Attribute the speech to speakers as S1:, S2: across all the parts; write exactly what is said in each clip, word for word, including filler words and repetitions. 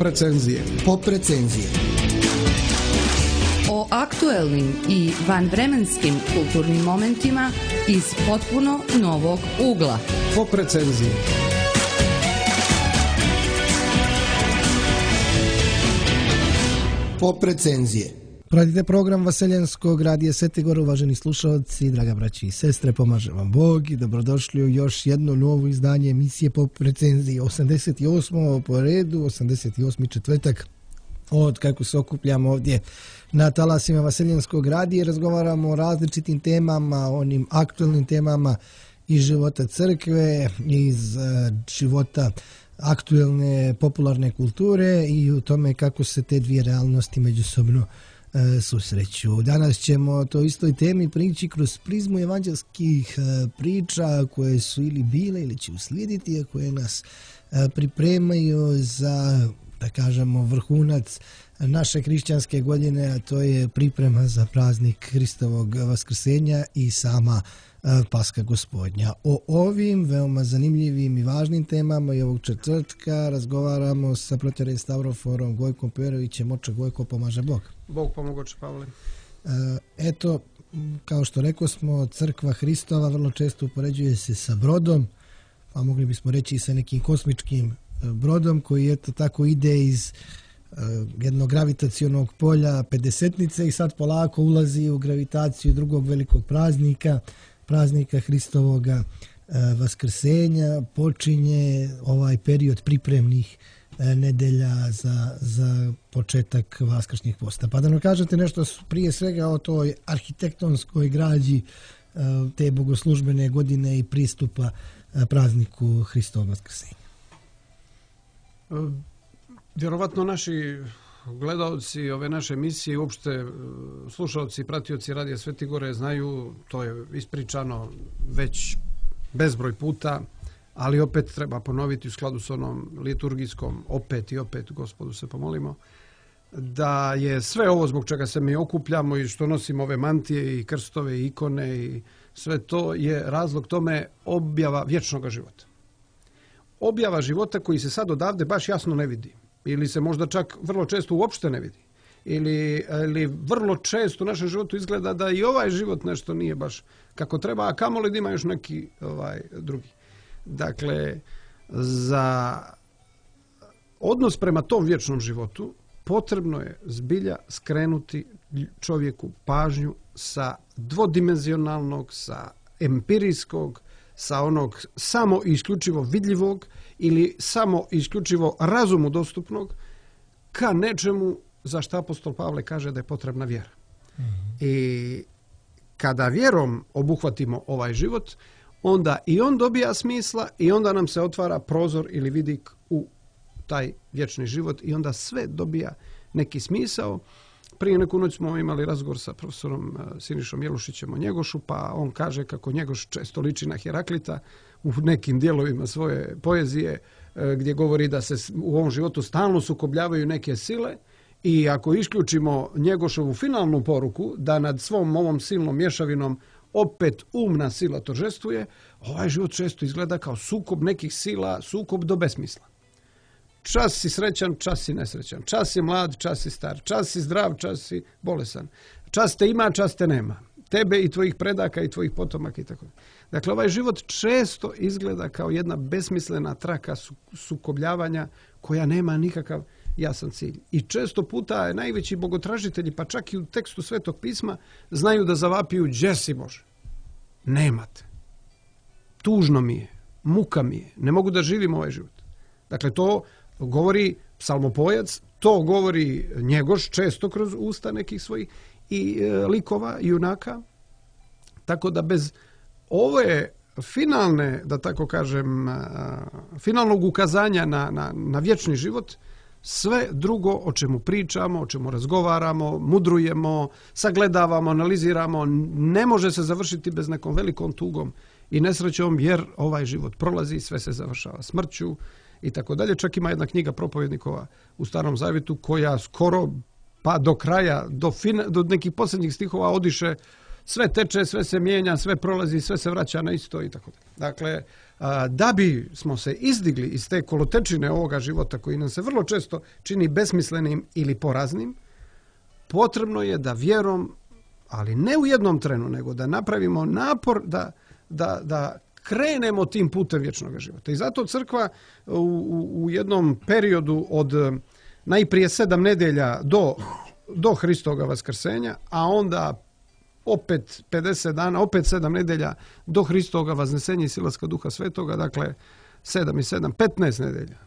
S1: recenzije.
S2: Pop recenzije.
S3: O aktuelnim i vanvremenskim kulturnim momentima iz potpuno novog ugla.
S1: Pop recenzije.
S2: Pop recenzije.
S4: Pratite program Vaseljenskog radija Svetigor, uvaženi slušalci, draga braći i sestre, pomaže vam Bog i dobrodošli u još jedno novo izdanje emisije Pop recenzije. osamdeset osmo po redu, osamdeset osmi četvrtak od kako se okupljamo ovdje na talasima Vaseljenskog radija, razgovaramo o različitim temama, onim aktualnim temama iz života crkve, iz uh, života aktualne popularne kulture i u tome kako se te dvije realnosti međusobno susreću. Danas ćemo o toj istoj temi prići kroz prizmu evanđelskih priča koje su ili bile ili će uslijediti, a koje nas pripremaju za, da kažemo, vrhunac naše hrišćanske godine, a to je priprema za praznik Hristovog vaskrsenja i sama Paska Gospodnja. O ovim veoma zanimljivim i važnim temama i ovog četvrtka razgovaramo sa proterej Stavroforom Gojkom Perovićem. Oče Gojko, pomaže Bog.
S1: Bog pomogoče, Pavle.
S4: Eto, kao što rekao smo, crkva Hristova vrlo često upoređuje se sa brodom, pa mogli bismo reći i sa nekim kosmičkim brodom koji eto tako ide iz jednog gravitacionog polja pedesetnice i sad polako ulazi u gravitaciju drugog velikog praznika, praznika Hristovoga vaskrsenja. Počinje ovaj period pripremnih nedelja za, za početak vaskršnjih posta. Pa da nam kažete nešto prije svega o toj arhitektonskoj građi te bogoslužbene godine i pristupa prazniku Hristovog vaskrsenja.
S1: Vjerovatno naši gledalci ove naše emisije i uopšte slušalci i pratioci Radija Svetigore znaju, to je ispričano već bezbroj puta, ali opet treba ponoviti u skladu s onom liturgijskom opet i opet Gospodu se pomolimo, da je sve ovo zbog čega se mi okupljamo i što nosimo ove mantije i krstove i ikone i sve to je razlog tome objava vječnog života. Objava života koji se sad odavde baš jasno ne vidi. Ili se možda čak vrlo često uopšte ne vidi. Ili, ili vrlo često u našem životu izgleda da i ovaj život nešto nije baš kako treba, a kamoli da ima još neki ovaj, drugi. Dakle, za odnos prema tom vječnom životu potrebno je zbilja skrenuti čovjeku pažnju sa dvodimenzionalnog, sa empirijskog, sa onog samo i isključivo vidljivog ili samo i isključivo razumu dostupnog ka nečemu za što apostol Pavle kaže da je potrebna vjera. Mm-hmm. I kada vjerom obuhvatimo ovaj život, onda i on dobija smisla i onda nam se otvara prozor ili vidik u taj vječni život i onda sve dobija neki smisao. Prije neku noć smo imali razgovor sa profesorom Sinišom Jelušićem o Njegošu, pa on kaže kako Njegoš često liči na Heraklita u nekim dijelovima svoje poezije, gdje govori da se u ovom životu stalno sukobljavaju neke sile i ako isključimo Njegošovu finalnu poruku da nad svom ovom silnom mješavinom opet umna sila торжествuje, ovaj život često izgleda kao sukob nekih sila, sukob do besmisla. Čas si srećan, čas si nesrećan. Čas si mlad, čas si star. Čas si zdrav, čas si bolesan. Čas te ima, čas te nema. Tebe i tvojih predaka i tvojih potomaka i tako. Dakle, ovaj život često izgleda kao jedna besmislena traka sukobljavanja koja nema nikakav jasan cilj. I često puta najveći bogotražitelji, pa čak i u tekstu Svetog pisma, znaju da zavapiju: "Đe si Bože? Nemate. Tužno mi je, muka mi je, ne mogu da živim ovaj život." Dakle, to govori psalmopojac, to govori Njegoš često kroz usta nekih svojih i e, likova, junaka. Tako da bez ove finalne, da tako kažem, a, finalnog ukazanja na, na, na vječni život, sve drugo o čemu pričamo, o čemu razgovaramo, mudrujemo, sagledavamo, analiziramo, ne može se završiti bez nekom velikom tugom i nesrećom, jer ovaj život prolazi, sve se završava smrću i tako dalje. Čak ima jedna knjiga propovjednikova u Starom Zavjetu koja skoro pa do kraja, do, fina, do nekih posljednjih stihova odiše sve teče, sve se mijenja, sve prolazi, sve se vraća na isto i tako dalje. Dakle, da bi smo se izdigli iz te kolotečine ovoga života koji nam se vrlo često čini besmislenim ili poraznim, potrebno je da vjerom, ali ne u jednom trenu, nego da napravimo napor da, da, da krenemo tim putem vječnog života. I zato crkva u, u, u jednom periodu od najprije sedam nedelja do, do Hristoga vaskrsenja, a onda opet pedeset dana, opet sedam nedelja do Hristoga vaznesenja i silaska Duha Svetoga, dakle sedam i sedam, petnaest nedelja.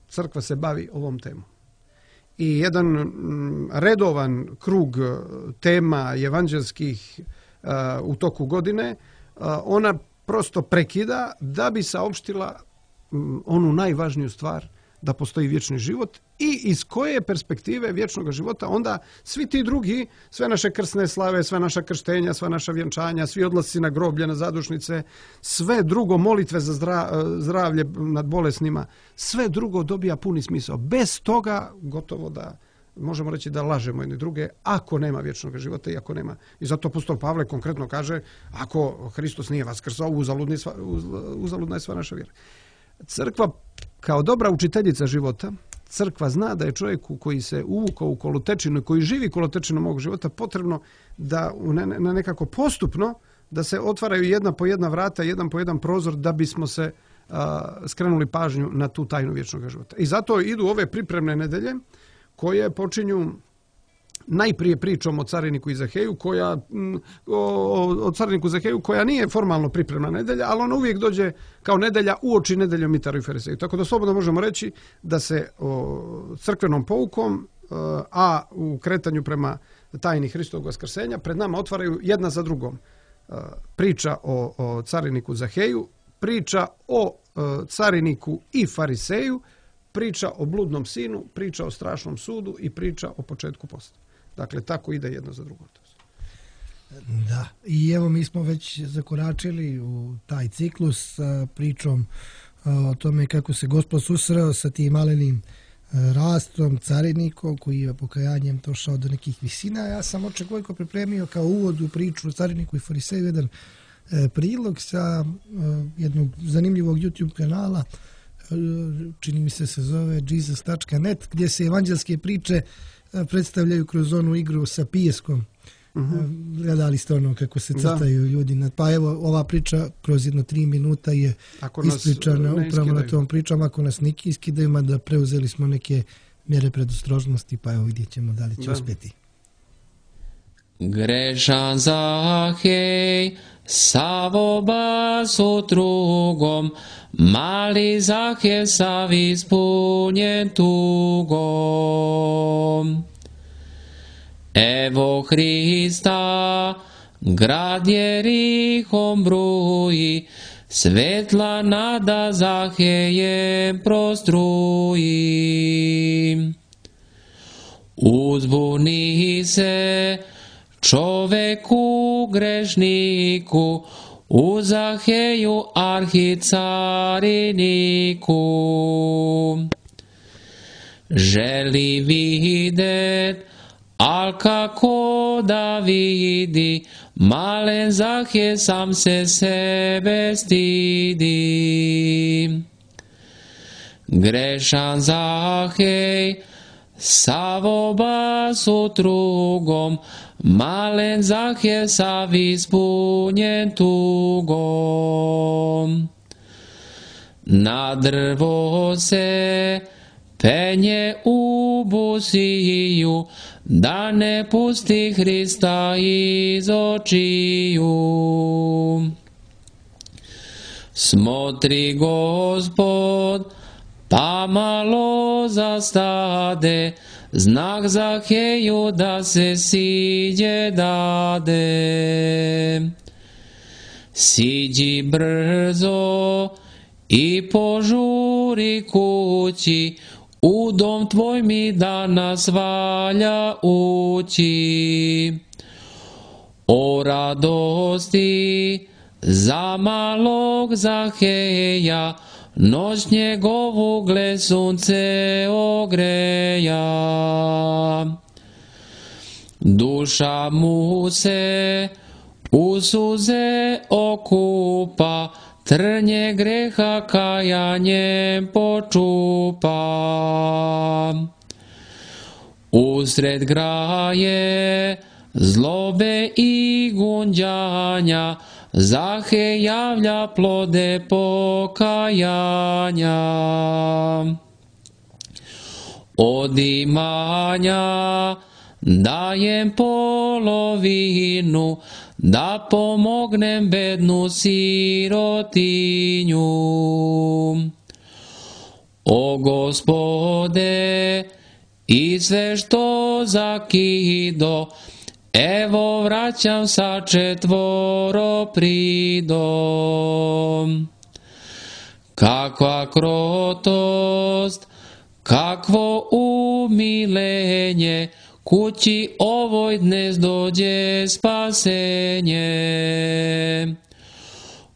S1: Crkva se bavi ovom temom. I jedan redovan krug tema evanđelskih uh, u toku godine, uh, ona prosto prekida da bi saopštila um, onu najvažniju stvar, da postoji vječni život i iz koje perspektive vječnog života onda svi ti drugi, sve naše krsne slave, sve naša krštenja, sva naša vjenčanja, svi odlasci na groblje, na zadušnice, sve drugo, molitve za zdravlje nad bolesnima, sve drugo dobija puni smisao. Bez toga gotovo da možemo reći da lažemo jedni druge ako nema vječnog života i ako nema. I zato apostol Pavle konkretno kaže, ako Hristos nije vaskrsao, uzaludna je sva naša vjera. Crkva kao dobra učiteljica života, crkva zna da je čovjeku koji se uvukao u kolotečinu i koji živi kolotečinom ovog života potrebno da na nekako postupno da se otvaraju jedna po jedna vrata, jedan po jedan prozor da bismo se a, skrenuli pažnju na tu tajnu vječnog života. I zato idu ove pripremne nedelje koje počinju najprije pričom o cariniku i Zaheju, koja, o, o cariniku Zaheju koja nije formalno pripremna nedelja, ali ona uvijek dođe kao nedelja uoči nedeljom Mitaru i Fariseju. Tako da slobodno možemo reći da se o, crkvenom poukom, a u kretanju prema tajni Hristovog vaskrsenja, pred nama otvaraju jedna za drugom. Priča o, o cariniku Zaheju, priča o cariniku i Fariseju, priča o bludnom sinu, priča o strašnom sudu i priča o početku posta. Dakle, tako ide jedno za drugo.
S4: Da, i evo mi smo već zakoračili u taj ciklus sa pričom o tome kako se Gospod susreo sa tim malenim rastom, carinikom koji je pokajanjem došao do nekih visina. Ja sam očekojko pripremio kao uvod u priču o cariniku i Fariseju jedan prilog sa jednog zanimljivog YouTube kanala, čini mi se se zove jesus tačka net, gdje se evanđelske priče predstavljaju kroz onu igru sa pijeskom. Uh-huh. Gledali ste ono kako se crtaju da. Ljudi. Pa evo, ova priča kroz jedno tri minuta je ispričana upravo na tom pričom. Ako nas neki iskidaju, mada preuzeli smo neke mjere predostrožnosti, pa evo vidjet ćemo da li će da. uspjeti.
S5: Grešan Zahej, Savoba s otrugom, mali Zahej sav ispunjen tugom. Evo Hrista, grad Jerihom bruji, svetla nada Zahejem prostruji. Uzbuni se čoveku grešniku, u Zaheju arhicariniku. Želi videt, al kako da vidi, malen Zahej sam se sebe stidi. Grešan Zahej, Savoba s otrugom, malen Zahej sav ispunjen tugom. Na drvo se penje u busiju, da ne pusti Hrista iz očiju. Smotri Gospod, pa malo zastade, znak Zaheju da se siđe dade. Siđi brzo i požuri kući, u dom tvoj mi danas valja ući. O radosti za malog Zaheja, noć njegovu gle sunce ogreja. Duša mu se u suze okupa, trnje greha kajanjem počupa. Usred graje zlobe i gunđanja, Zahe javlja plode pokajanja. Od imanja dajem polovinu, da pomognem bednu sirotinju. O Gospode, i sve što zakido, evo vraćam sa četvoro pridom. Kakva krotost, kakvo umilenje, kući ovoj dnes dođe spasenje.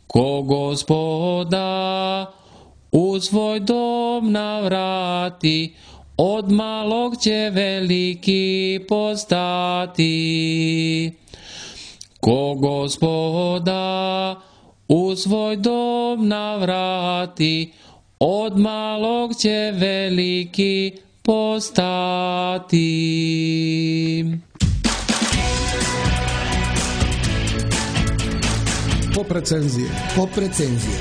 S5: Ko Gospoda u svoj dom navrati, od malog će veliki postati. Ko Gospoda u svoj dom navrati, od malog će veliki postati.
S1: Pop recenzije.
S2: Pop recenzije.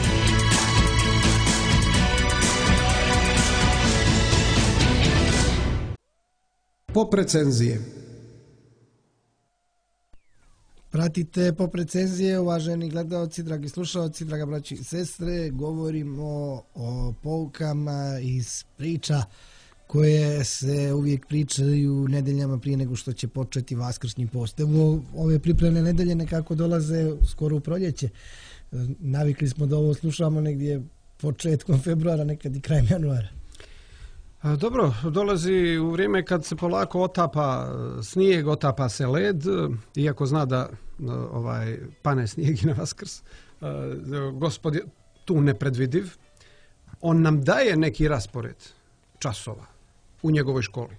S1: Pop recenzije.
S4: Pratite Pop recenzije, uvaženi gledalci, dragi slušalci, draga braći i sestre. Govorimo o poukama iz priča koje se uvijek pričaju nedeljama prije nego što će početi Vaskršnji post. Evo, ove pripremne nedelje nekako dolaze skoro u proljeće. Navikli smo da ovo slušamo negdje početkom februara, nekad i krajem januara.
S1: Dobro, dolazi u vrijeme kad se polako otapa snijeg, otapa se led, iako zna da ovaj, pane snijeg i na Vaskrs. Gospod je tu nepredvidiv. On nam daje neki raspored časova u njegovoj školi.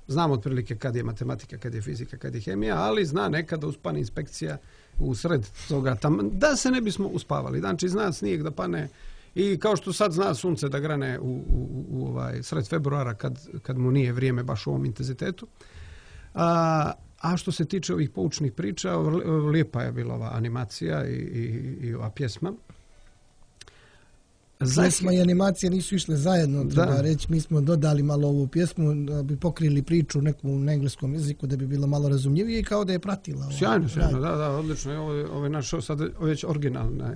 S1: Znamo otprilike kad je matematika, kad je fizika, kad je hemija, ali zna nekada uspane inspekcija u sred toga tamo, da se ne bismo uspavali. Znači zna snijeg da pane i kao što sad zna sunce da grane u, u, u ovaj sred februara kad, kad mu nije vrijeme baš u ovom intenzitetu. A, a što se tiče ovih poučnih priča, lijepa je bila ova animacija i, i, i ova pjesma.
S4: Pjesma i animacija nisu išle zajedno, treba da reći. Mi smo dodali malo ovu pjesmu da bi pokrili priču neku na engleskom jeziku, da bi bilo malo razumljivije i kao da je pratila.
S1: Sjajno, sjajno, da, da, odlično. Ovo je, ovo je naš sad već originalna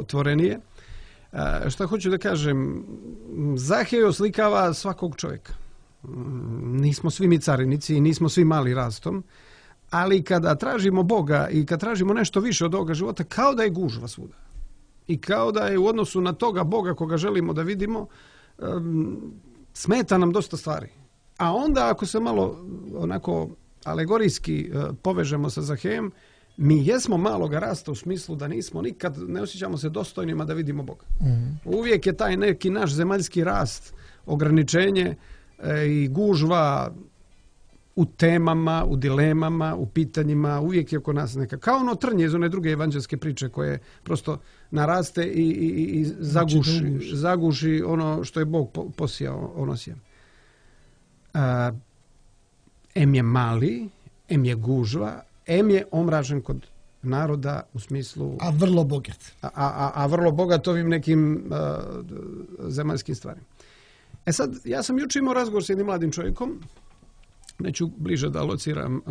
S1: tvorenije. A, šta hoću da kažem, Zahej oslikava svakog čovjeka. Nismo svi mi carinici, nismo svi mali rastom, ali kada tražimo Boga i kad tražimo nešto više od ovoga života, kao da je gužva svuda. I kao da je u odnosu na toga Boga koga želimo da vidimo, um, smeta nam dosta stvari. A onda ako se malo onako alegorijski uh, povežemo sa Zahejem, mi jesmo maloga rasta u smislu da nismo nikad, ne osjećamo se dostojnima da vidimo Boga. Mm. Uvijek je taj neki naš zemaljski rast, ograničenje e, i gužva u temama, u dilemama, u pitanjima, uvijek je oko nas neka, kao ono trnje iz one druge evanđelske priče koje prosto naraste i, i, i zaguši, znači, zaguši ono što je Bog posijao, ono sjem. A, em je mali, em je gužva, em je omražen kod naroda u smislu...
S4: A vrlo bogat.
S1: A, a, a vrlo bogat ovim nekim a, zemaljskim stvarima. E sad, ja sam jučer imao razgovor s jednim mladim čovjekom, neću bliže da lociram uh,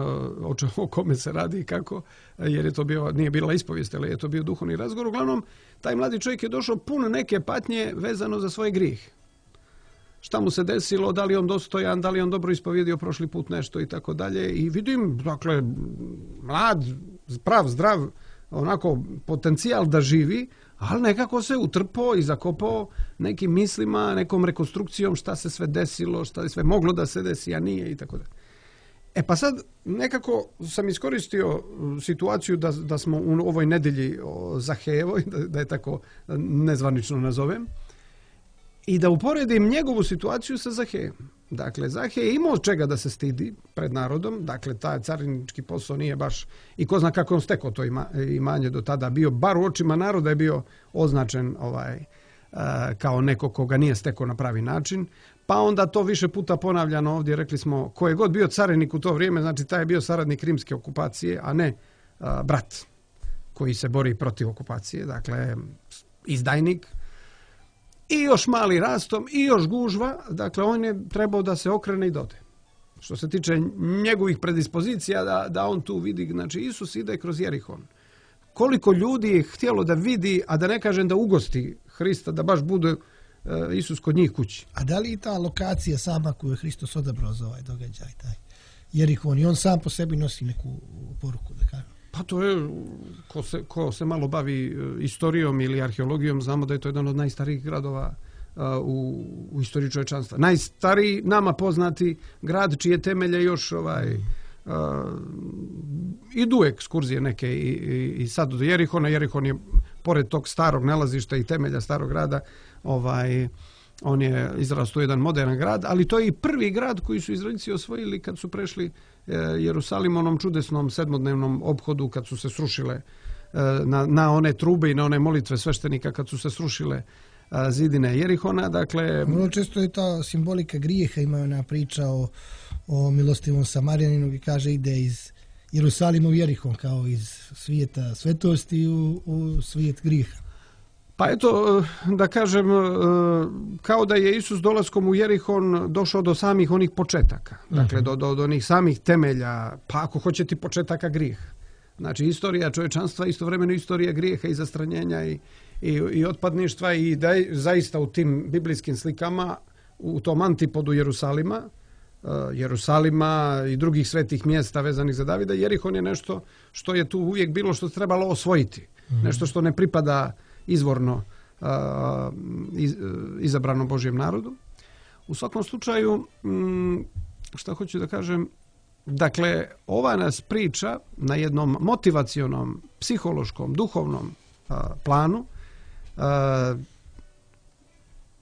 S1: o kome se radi i kako, jer je to bio, nije bila ispovijest, ali je to bio duhovni razgovor. Uglavnom, taj mladi čovjek je došao pun neke patnje vezano za svoj grijeh. Šta mu se desilo, da li on dostojan, da li on dobro ispovjedio prošli put nešto i tako dalje. I vidim, dakle, mlad, prav, zdrav, onako potencijal da živi, ali nekako se utrpao i zakopao nekim mislima, nekom rekonstrukcijom šta se sve desilo, šta je sve moglo da se desi, a nije i tako dalje. E pa sad nekako sam iskoristio situaciju da, da smo u ovoj nedelji Zahejevoj, da, da je tako nezvanično nazovem, i da uporedim njegovu situaciju sa Zahejem. Dakle, Zahej je imao čega da se stidi pred narodom, dakle, taj carinički posao nije baš, i ko zna kako on stekao to ima, imanje do tada, bio bar u očima naroda je bio označen ovaj, kao neko koga nije stekao na pravi način, pa onda to više puta ponavljano ovdje, rekli smo, ko je god bio carinik u to vrijeme, znači taj je bio saradnik rimske okupacije, a ne a, brat koji se bori protiv okupacije, dakle, izdajnik. I još mali rastom, i još gužva, dakle on je trebao da se okrene i dode. Što se tiče njegovih predispozicija, da, da on tu vidi, znači Isus ide kroz Jerihon. Koliko ljudi je htjelo da vidi, a da ne kažem da ugosti Hrista, da baš bude uh, Isus kod njih kući.
S4: A da li i ta lokacija sama koju je Hristos odabrao za ovaj događaj, taj Jerihon, i on sam po sebi nosi neku poruku, da kažem?
S1: Pa to je, ko se, ko se malo bavi istorijom ili arheologijom, znamo da je to jedan od najstarijih gradova uh, u, u istoriji čovječanstva. Najstariji, nama poznati grad čije temelje još ovaj, uh, idu ekskurzije neke i, i, i sad do Jerihona. Jerihon je, pored tog starog nalazišta i temelja starog grada, ovaj, on je izrastao jedan modern grad, ali to je i prvi grad koji su Izraelci osvojili kad su prešli Jerusalim, onom čudesnom sedmodnevnom ophodu kad su se srušile na, na one trube i na one molitve sveštenika kad su se srušile zidine Jerihona. Dakle,
S4: vrlo često je ta simbolika grijeha, ima ona priča o, o milostivom Samarjaninu koji kaže ide iz Jerusalima u Jerihon kao iz svijeta svetosti u, u svijet grijeha.
S1: Pa eto, da kažem, kao da je Isus dolaskom u Jerihon došao do samih onih početaka. Dakle, do, do, do onih samih temelja, pa ako hoćete početaka grijeha. Znači, istorija čovječanstva, istovremeno istorija grijeha i zastranjenja i, i, i otpadništva i da je zaista u tim biblijskim slikama, u tom antipodu Jerusalima, Jerusalima i drugih svetih mjesta vezanih za Davida, Jerihon je nešto što je tu uvijek bilo što trebalo osvojiti. Mm. Nešto što ne pripada izvorno uh, iz, izabranom Božjem narodu. U svakom slučaju, um, šta hoću da kažem, dakle, ova nas priča na jednom motivacionom, psihološkom, duhovnom uh, planu uh,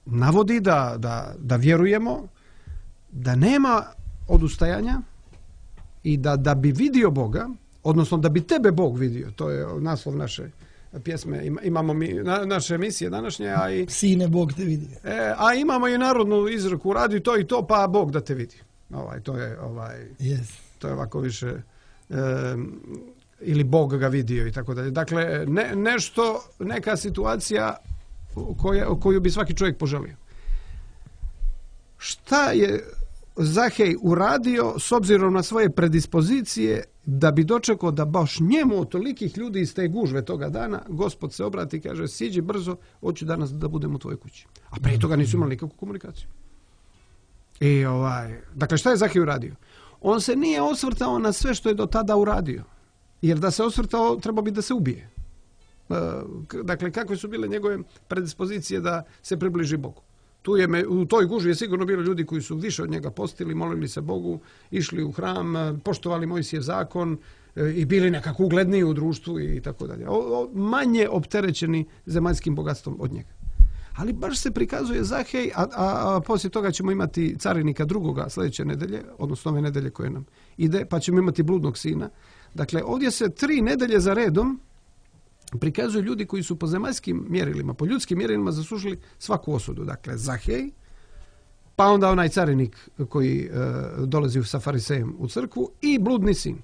S1: navodi da, da, da vjerujemo da nema odustajanja i da, da bi vidio Boga, odnosno da bi tebe Bog vidio, to je naslov naše pjesme, imamo mi na, naše emisije današnje, a i
S4: Sine, Bog te vidi.
S1: E, a imamo i narodnu izreku, radi to i to, pa Bog da te vidi. Ovaj, to je ovaj,
S4: yes.
S1: To je ovako više e, ili Bog ga vidio i tako dalje. Dakle, ne, nešto, neka situacija koja, koju bi svaki čovjek poželio. Šta je Zahej uradio s obzirom na svoje predispozicije da bi dočekao da baš njemu od tolikih ljudi iz te gužve toga dana Gospod se obrati i kaže siđi brzo, hoću danas da budem u tvojoj kući. A prije toga nisu imali nikakvu komunikaciju. I ovaj, dakle, šta je Zahej uradio? On se nije osvrtao na sve što je do tada uradio. Jer da se osvrtao, treba bi da se ubije. Dakle, kakve su bile njegove predispozicije da se približi Bogu? Tu je, u toj gužvi je sigurno bilo ljudi koji su više od njega postili, molili se Bogu, išli u hram, poštovali Mojsijev zakon i bili nekako ugledniji u društvu i tako dalje. Manje opterećeni zemaljskim bogatstvom od njega. Ali baš se prikazuje Zahej, a, a, a poslije toga ćemo imati carinika drugoga sljedeće nedelje, odnosno ove nedelje koje nam ide, pa ćemo imati bludnog sina. Dakle, ovdje se tri nedelje za redom prikazuju ljudi koji su po zemaljskim mjerilima, po ljudskim mjerilima zaslužili svaku osudu. Dakle, Zahej, pa onda onaj carinik koji e, dolazi sa farisejem u crkvu i bludni sin.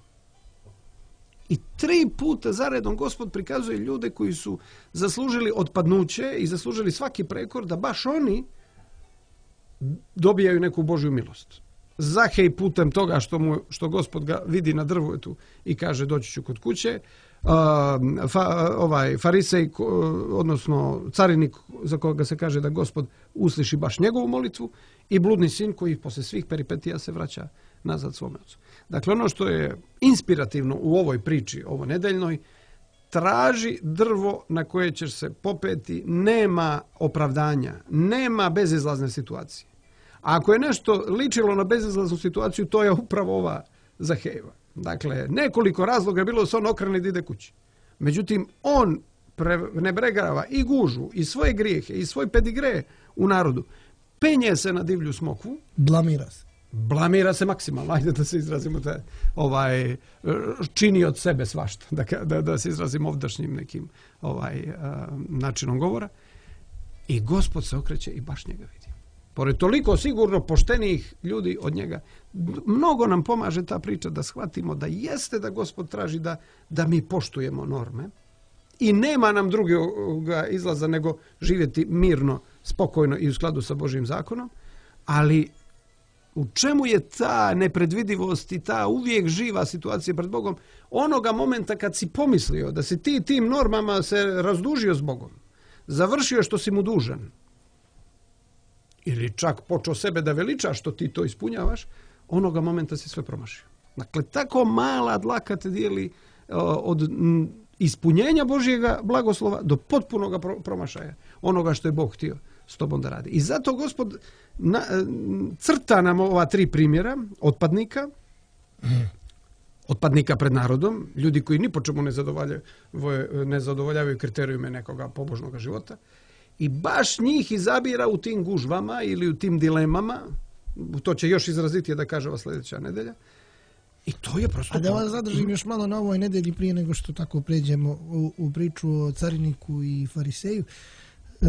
S1: I tri puta zaredom Gospod prikazuje ljude koji su zaslužili otpadnuće i zaslužili svaki prekor da baš oni dobijaju neku Božju milost. Zahej putem toga što, mu, što Gospod ga vidi na drvetu i kaže doći ću kod kuće, Uh, fa, ovaj farisej, odnosno carinik za koga se kaže da Gospod usliši baš njegovu molitvu i bludni sin koji posle svih peripetija se vraća nazad svome ocu. Dakle, ono što je inspirativno u ovoj priči, ovo nedeljnoj, traži drvo na koje ćeš se popeti, nema opravdanja, nema bezizlazne situacije. A ako je nešto ličilo na bezizlaznu situaciju, to je upravo ova Zahejeva. Dakle, nekoliko razloga je bilo da se on okrene da ide kući. Međutim, on prenebregava i gužu, i svoje grijehe, i svoj pedigre u narodu. penje se na divlju smokvu,
S4: Blamira se.
S1: blamira se maksimalno, ajde da se izrazimo, te, ovaj, čini od sebe svašta, da, da, da se izrazimo ovdašnjim nekim ovaj, uh, načinom govora. I Gospod se okreće i baš njega vidi. Pored toliko sigurno poštenih ljudi od njega, mnogo nam pomaže ta priča da shvatimo da jeste da Gospod traži da, da mi poštujemo norme i nema nam drugoga izlaza nego živjeti mirno, spokojno i u skladu sa Božjim zakonom, ali u čemu je ta nepredvidivost i ta uvijek živa situacija pred Bogom? Onoga momenta kad si pomislio da si ti tim normama se razdužio s Bogom, završio što si mu dužan, ili čak počeo sebe da veliča što ti to ispunjavaš, onoga momenta si sve promašio. Dakle, tako mala dlaka te dijeli od ispunjenja Božjega blagoslova do potpunog promašaja onoga što je Bog htio s tobom da radi. I zato Gospod na, crta nam ova tri primjera otpadnika, otpadnika pred narodom, ljudi koji ni po čemu ne zadovoljavaju, ne zadovoljavaju kriterijume nekoga pobožnog života, i baš njih izabira u tim gužvama ili u tim dilemama, to će još izrazitije da kaže ova sljedeća nedelja, i to je prosto...
S4: A da vas zadržim još malo na ovoj nedelji prije nego što tako pređemo u, u priču o cariniku i fariseju. E,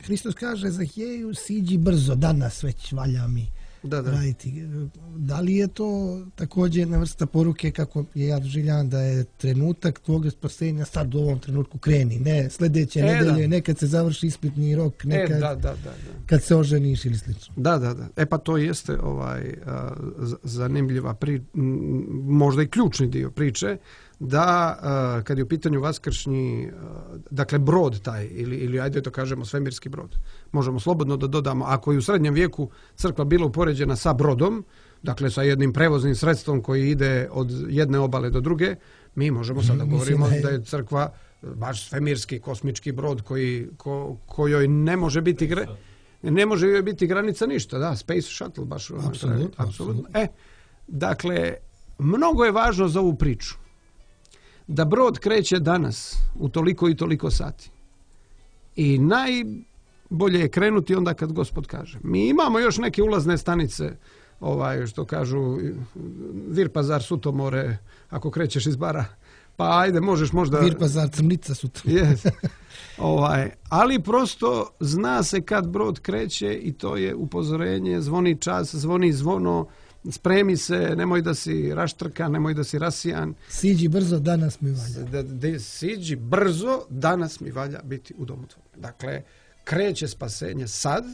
S4: Hristos kaže Zahijeju, siđi brzo, danas već valja mi
S1: da, da.
S4: raditi. Da li je to također jedna vrsta poruke kako je ja doživljavam da je trenutak tvoga spasenja sad u ovom trenutku kreni, ne sljedeće e, nedelje,
S1: da.
S4: nekad se završi ispitni rok, nekad
S1: e, da, da, da, da.
S4: kad se oženiš ili slično.
S1: Da, da, da. E pa to jeste ovaj a, zanimljiva pri, možda i ključni dio priče, da a, kad je u pitanju vaskršnji, a, dakle brod taj, ili, ili ajde to kažemo svemirski brod, možemo slobodno da dodamo, ako je u srednjem vijeku crkva bila upoređena sa brodom, dakle sa jednim prevoznim sredstvom koji ide od jedne obale do druge, mi možemo sad da govorimo da je crkva baš svemirski kosmički brod koji, ko, kojoj ne može biti gre, ne može joj biti granica ništa, da, space shuttle baš.
S4: Apsolutno, apsolutno.
S1: E, dakle, mnogo je važno za ovu priču da brod kreće danas u toliko i toliko sati. I najbolje je krenuti onda kad Gospod kaže. Mi imamo još neke ulazne stanice, ovaj, što kažu Virpazar, Sutomore, ako krećeš iz Bara, pa ajde, možeš možda...
S4: Virpazar, Crnica, Sutomore.
S1: Yes. Ovaj, ali prosto zna se kad brod kreće i to je upozorenje, zvoni čas, zvoni zvono, spremi se, nemoj da si raštrkan, nemoj da si rasijan.
S4: Siđi brzo, danas mi valja.
S1: Da, da, siđi brzo, danas mi valja biti u domu tvojom. Dakle, kreće spasenje sad,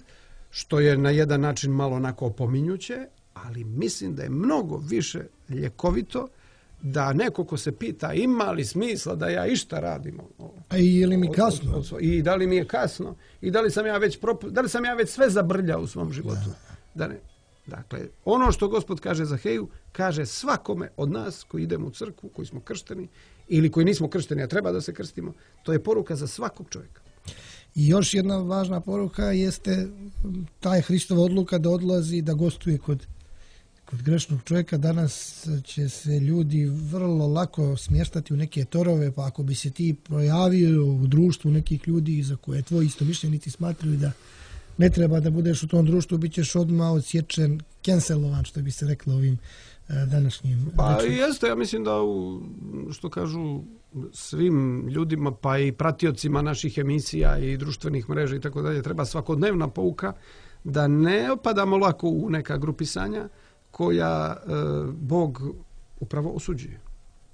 S1: što je na jedan način malo onako opominjuće, ali mislim da je mnogo više ljekovito da neko ko se pita ima li smisla da ja išta radim.
S4: A i je li mi kasno?
S1: Od, od, I da li mi je kasno? I da li sam ja već, propu, da li sam ja već sve zabrljao u svom životu? Da. Da ne. Dakle, ono što Gospod kaže Zaheju, kaže svakome od nas koji idemo u crkvu, koji smo kršteni ili koji nismo kršteni, a treba da se krstimo, to je poruka za svakog čovjeka.
S4: I još jedna važna poruka jeste taj Hristova odluka da odlazi, da gostuje kod, kod grešnog čovjeka. Danas će se ljudi vrlo lako smještati u neke torove, pa ako bi se ti projavio u društvu nekih ljudi za koje tvoji istomišljenici smatraju da ne treba da budeš u tom društvu, bit ćeš odmah odsječen, cancelovan, što bi se reklo ovim današnjim.
S1: Pa rečima. Jeste, ja mislim da u, što kažu svim ljudima, pa i pratiocima naših emisija i društvenih mreža i tako dalje, treba svakodnevna pouka da ne opadamo lako u neka grupisanja koja e, Bog upravo osuđuje.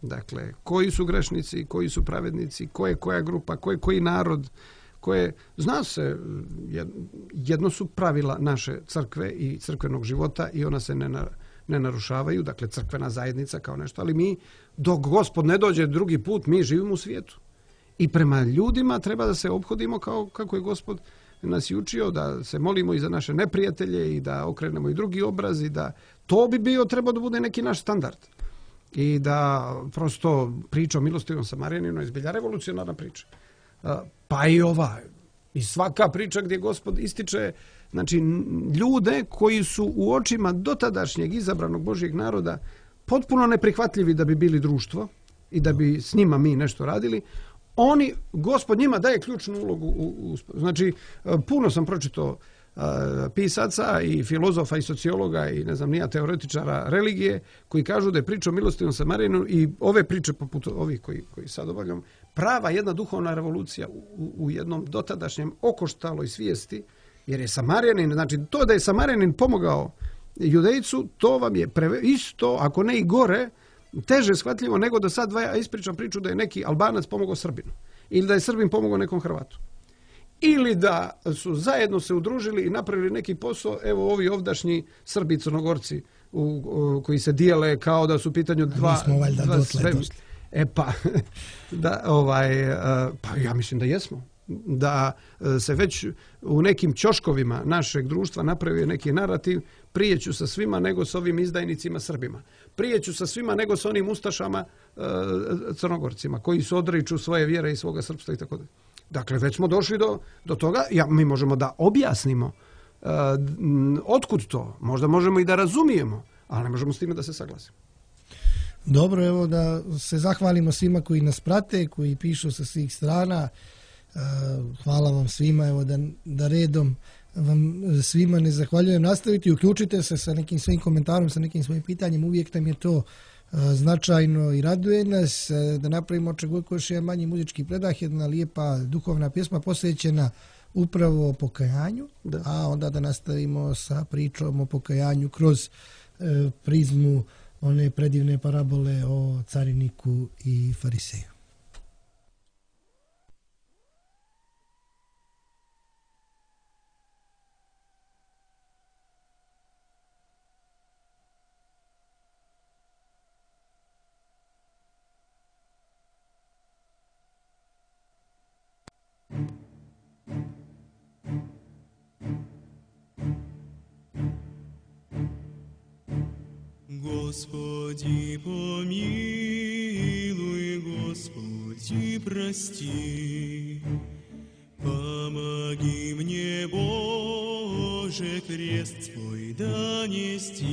S1: Dakle, koji su grešnici, koji su pravednici, ko je koja grupa, ko je koji narod, koje, zna se, jedno su pravila naše crkve i crkvenog života i ona se ne, na, ne narušavaju, dakle crkvena zajednica kao nešto, ali mi, dok Gospod ne dođe drugi put, mi živimo u svijetu. I prema ljudima treba da se ophodimo kao kako je Gospod nas i učio, da se molimo i za naše neprijatelje i da okrenemo i drugi obraz i da to bi bio, treba da bude neki naš standard. I da prosto priča o milostivom Samarijaninu je zbilja revolucionarna priča. Pa i ova, i svaka priča gdje Gospod ističe, znači, ljude koji su u očima dotadašnjeg izabranog Božjeg naroda potpuno neprihvatljivi da bi bili društvo i da bi s njima mi nešto radili, oni, Gospod njima daje ključnu ulogu. U, u, znači, puno sam pročitao pisaca i filozofa i sociologa i ne znam nija teoretičara religije koji kažu da je priča o milostivom Samarjaninu i ove priče poput ovih koji, koji sad obavljam prava jedna duhovna revolucija u, u jednom dotadašnjem okoštaloj svijesti, jer je Samarjanin, znači to da je Samarjanin pomogao Judejcu, to vam je preve, isto, ako ne i gore, teže shvatljivo nego da sad ja ispričam priču da je neki Albanac pomogao Srbinu ili da je Srbin pomogao nekom Hrvatu. Ili da su zajedno se udružili i napravili neki posao, evo ovi ovdašnji Srbi i Crnogorci u, u, koji se dijele kao da su u pitanju dva...
S4: Mi smo valjda
S1: dva
S4: dotle, dotle.
S1: E pa, da, ovaj, pa ja mislim da jesmo. Da se već u nekim ćoškovima našeg društva napravio neki narativ, prije ću sa svima nego s ovim izdajnicima Srbima. Prije ću sa svima nego s onim ustašama e, Crnogorcima koji se odriču svoje vjere i svoga srpstva i tako dalje. Dakle, već smo došli do, do toga, ja, mi možemo da objasnimo uh, otkud to, možda možemo i da razumijemo, ali ne možemo s time da se saglasimo.
S4: Dobro, evo da se zahvalimo svima koji nas prate, koji pišu sa svih strana. Uh, hvala vam svima, evo da, da redom vam svima ne zahvaljujem. Nastaviti, uključite se sa nekim svojim komentarom, sa nekim svojim pitanjem, uvijek nam je to značajno i raduje nas da napravimo Čegojko još jedan manji muzički predah, jedna lijepa duhovna pjesma posvećena upravo pokajanju, da. A onda da nastavimo sa pričom o pokajanju kroz e, prizmu one predivne parabole o cariniku i fariseju.
S6: Господи, помилуй, Господи, прости, помоги мне, Боже, крест свой донести.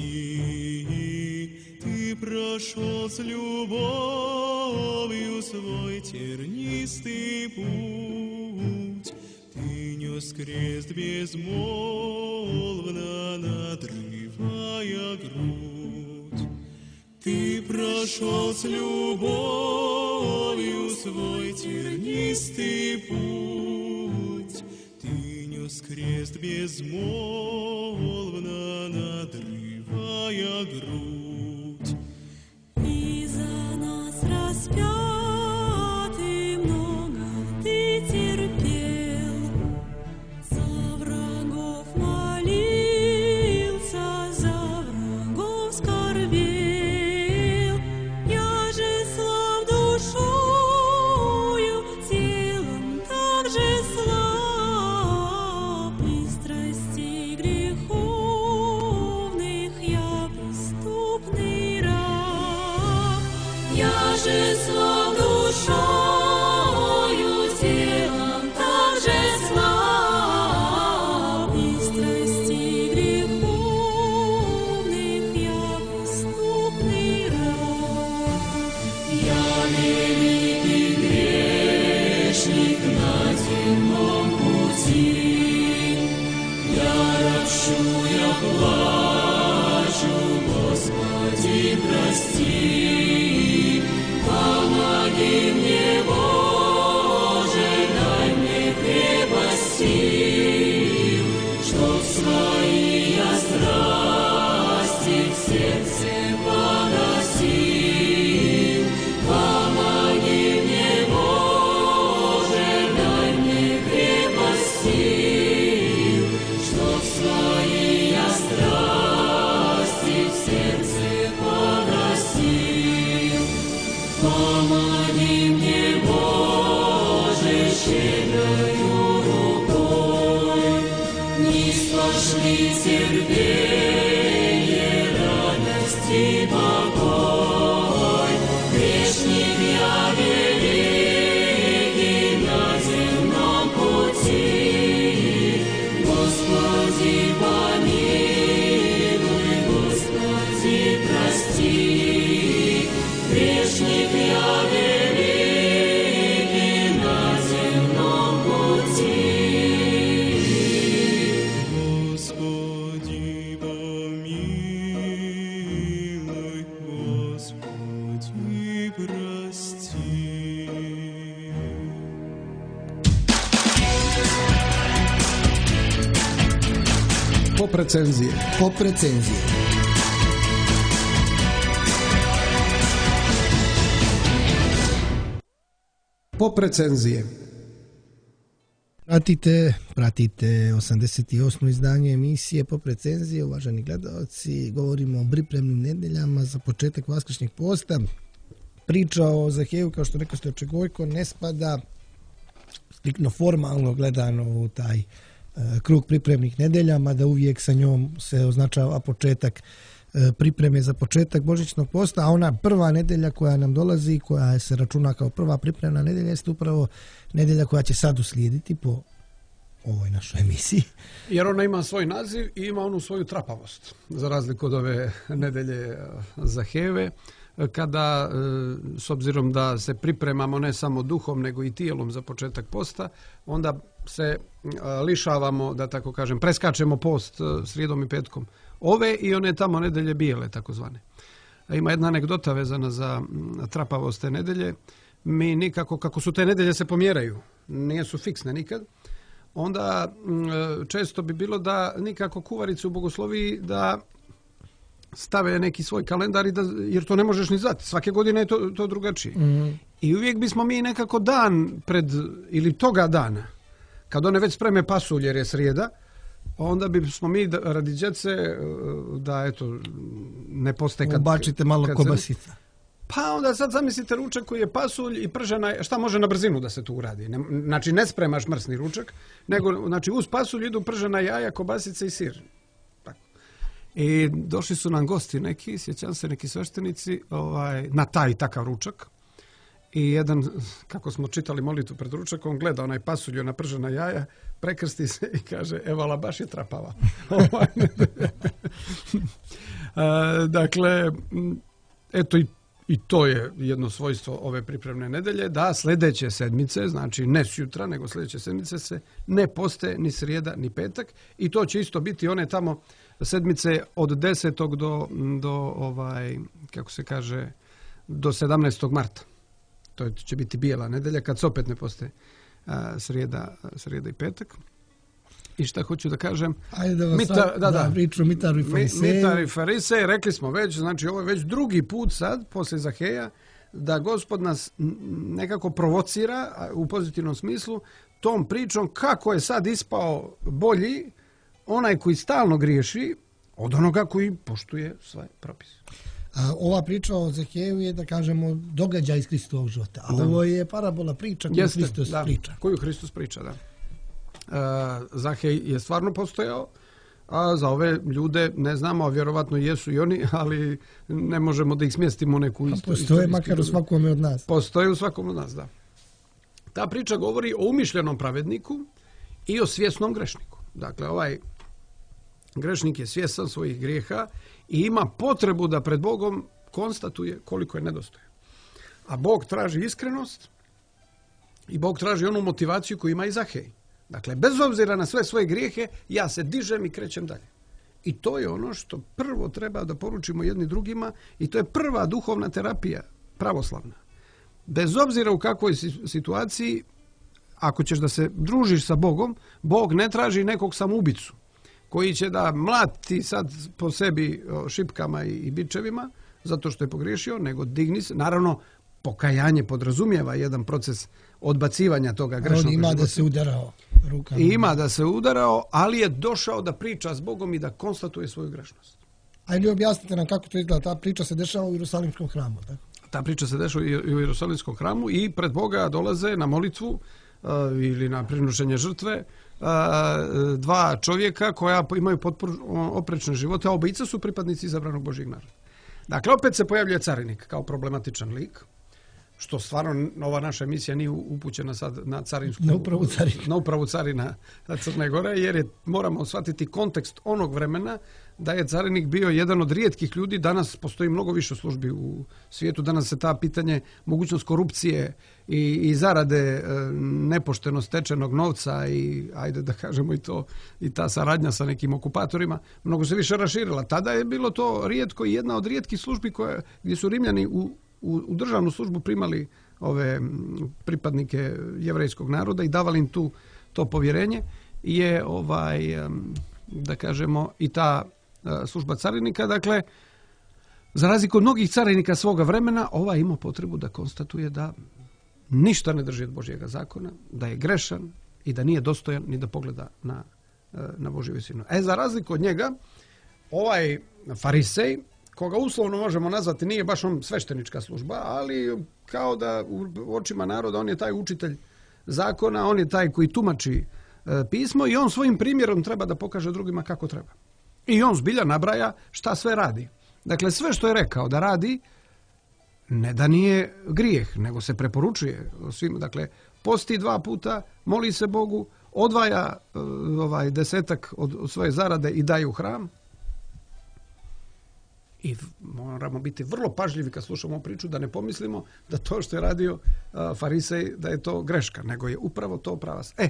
S6: Ты прошел с любовью свой тернистый путь, ты нес крест безмолвно, надрывая грудь. Ты прошел с любовью свой тернистый путь, ты нес крест безмолвно, надрывая грудь.
S7: И за нас распятый много ты терпел, за врагов молился, за врагов скорбел. Я же слаб душою, телом также слаб, и страстей греховных я преступный раб. Я же слаб душою, телом также слаб, и страстей греховных я преступный раб. Я великий грешник на темном пути, я ропщу, я плачу, Господи, прости. Помоги мне, Боже, дай мне крепость сил, чтоб свои я страсти в сердце погасил. Помоги мне, Боже, дай мне крепость сил, чтоб свои я страсти в сердце погасил. Помоги мне, Боже, щедрою рукой, низ пошли терпение, радость и покой. Грешник я великий на земном пути, Господи, помилуй, Господи, прости. Грешник я великий на земном пути.
S1: Pop recenzije.
S2: Pop recenzije.
S1: Pop recenzije.
S4: Pratite, pratite osamdeset osmo izdanje emisije Pop recenzije, uvaženi gledalci. Govorimo o pripremnim nedeljama za početak vaskršnjeg posta. Priča o Zaheju, kao što rekao ste, Gojko, ne spada striktno formalno gledano u taj e, krug pripremnih nedelja, mada uvijek sa njom se označava početak e, pripreme za početak božićnog posta, a ona prva nedelja koja nam dolazi, koja se računa kao prva pripremna nedelja, jeste upravo nedelja koja će sad uslijediti po ovoj našoj emisiji.
S1: Jer ona ima svoj naziv i ima onu svoju trapavost, za razliku od ove nedelje Zaheve, kada, s obzirom da se pripremamo ne samo duhom, nego i tijelom za početak posta, onda se lišavamo, da tako kažem, preskačemo post srijedom i petkom. Ove i one tamo nedelje bijele, takozvane. Ima jedna anegdota vezana za trapavost te nedelje. Mi nikako, kako su te nedelje se pomjeraju, nisu fiksne nikad, onda često bi bilo da nikako kuvarice u bogosloviji da stave neki svoj kalendar, i da, jer to ne možeš ni znati. Svake godine je to, to drugačije. Mm. I uvijek bismo mi nekako dan pred, ili toga dana, kad one već spreme pasulj jer je srijeda, onda bismo mi da, radi djece da eto ne poste kad...
S4: Ubačite malo kad kobasica. Se,
S1: pa onda sad zamislite ručak koji je pasulj i pržena, šta može na brzinu da se tu uradi? Ne, znači ne spremaš mrsni ručak, nego znači uz pasulj idu pržena jaja, kobasice i sir. I došli su nam gosti neki, sjećam se, neki sveštenici ovaj, na taj takav ručak. I jedan, kako smo čitali molitvu pred ručakom, gleda onaj pasulj na pržena jaja, prekrsti se i kaže, evala, baš je trapava. Dakle, eto i, i to je jedno svojstvo ove pripremne nedelje, da sljedeće sedmice, znači ne sutra, nego sljedeće sedmice se ne poste ni srijeda ni petak, i to će isto biti one tamo sedmice od desetog do, do ovaj, kako se kaže, do sedamnaestog marta. To će biti bijela nedelja, kad se opet ne poste a, srijeda, srijeda i petak. I šta hoću da kažem?
S4: Ajde da vas
S1: Mitar,
S4: sad,
S1: da, da,
S4: da, priču Mitaru i Fariseju.
S1: Mitar i Farisej, rekli smo već, znači ovo je već drugi put sad, poslije Zaheja, da Gospod nas nekako provocira u pozitivnom smislu tom pričom kako je sad ispao bolji onaj koji stalno griješi od onoga koji poštuje sve propise.
S4: A ova priča o Zaheju je, da kažemo, događaj iz Hristovog života. A da. Ovo je parabola priča koju
S1: Jeste,
S4: Hristos
S1: da,
S4: priča.
S1: Koju Hristos priča, da. E, Zahej je stvarno postojao, a za ove ljude ne znamo, a vjerovatno jesu i oni, ali ne možemo da ih smjestimo u neku istu.
S4: Postoje makar u svakome od nas.
S1: Postoje u svakom od nas, da. Ta priča govori o umišljenom pravedniku i o svjesnom grešniku. Dakle, ovaj grešnik je svjestan svojih grijeha i ima potrebu da pred Bogom konstatuje koliko je nedostojan. A Bog traži iskrenost i Bog traži onu motivaciju koju ima i Zahej. Dakle, bez obzira na sve svoje grijehe, ja se dižem i krećem dalje. I to je ono što prvo treba da poručimo jedni drugima, i to je prva duhovna terapija, pravoslavna. Bez obzira u kakvoj situaciji, ako ćeš da se družiš sa Bogom, Bog ne traži nekog samoubicu koji će da mlati sad po sebi šipkama i bičevima zato što je pogriješio, nego digni se. Naravno, pokajanje podrazumijeva jedan proces odbacivanja toga grešnog života.
S4: On ima da se udarao rukama.
S1: I ima da se udarao, ali je došao da priča s Bogom i da konstatuje svoju grešnost.
S4: Ajde, objasnite nam kako to izgleda. Ta priča se dešava u Jerusalimskom hramu, tako?
S1: Ta priča se dešava i u Jerusalimskom hramu i pred Boga dolaze na molitvu uh, ili na prinošenje žrtve uh, dva čovjeka koja imaju potpuno oprečne živote, a obojica su pripadnici izabranog Božjeg naroda. Dakle, opet se pojavljuje carinik kao problematičan lik, što stvarno ova naša emisija nije upućena sad na carinsku,
S4: na upravu carina,
S1: na upravu carina Crne Gore, jer je, moramo shvatiti kontekst onog vremena da je carinik bio jedan od rijetkih ljudi. Danas postoji mnogo više službi u svijetu, danas se ta pitanje, mogućnost korupcije i, i zarade e, nepošteno stečenog novca i, ajde da kažemo i to, i ta saradnja sa nekim okupatorima, mnogo se više raširila. Tada je bilo to rijetko i jedna od rijetkih službi koje, gdje su Rimljani u U, u državnu službu primali ove pripadnike jevrejskog naroda i davali im tu to povjerenje, je ovaj da kažemo, i ta služba carinika. Dakle, za razliku od mnogih carinika svoga vremena, ovaj ima potrebu da konstatuje da ništa ne drži od Božjega zakona, da je grešan i da nije dostojan ni da pogleda na, na Božju visinu. E, za razliku od njega, ovaj farisej, koga uslovno možemo nazvati, nije baš on sveštenička služba, ali kao da u očima naroda on je taj učitelj zakona, on je taj koji tumači e, pismo i on svojim primjerom treba da pokaže drugima kako treba. I on zbilja nabraja šta sve radi. Dakle, sve što je rekao da radi, ne da nije grijeh, nego se preporučuje svim. Dakle, posti dva puta, moli se Bogu, odvaja e, ovaj desetak od, od svoje zarade i daje u hram. I moramo biti vrlo pažljivi kad slušamo priču, da ne pomislimo da to što je radio uh, farisej, da je to greška, nego je upravo to pravac. E,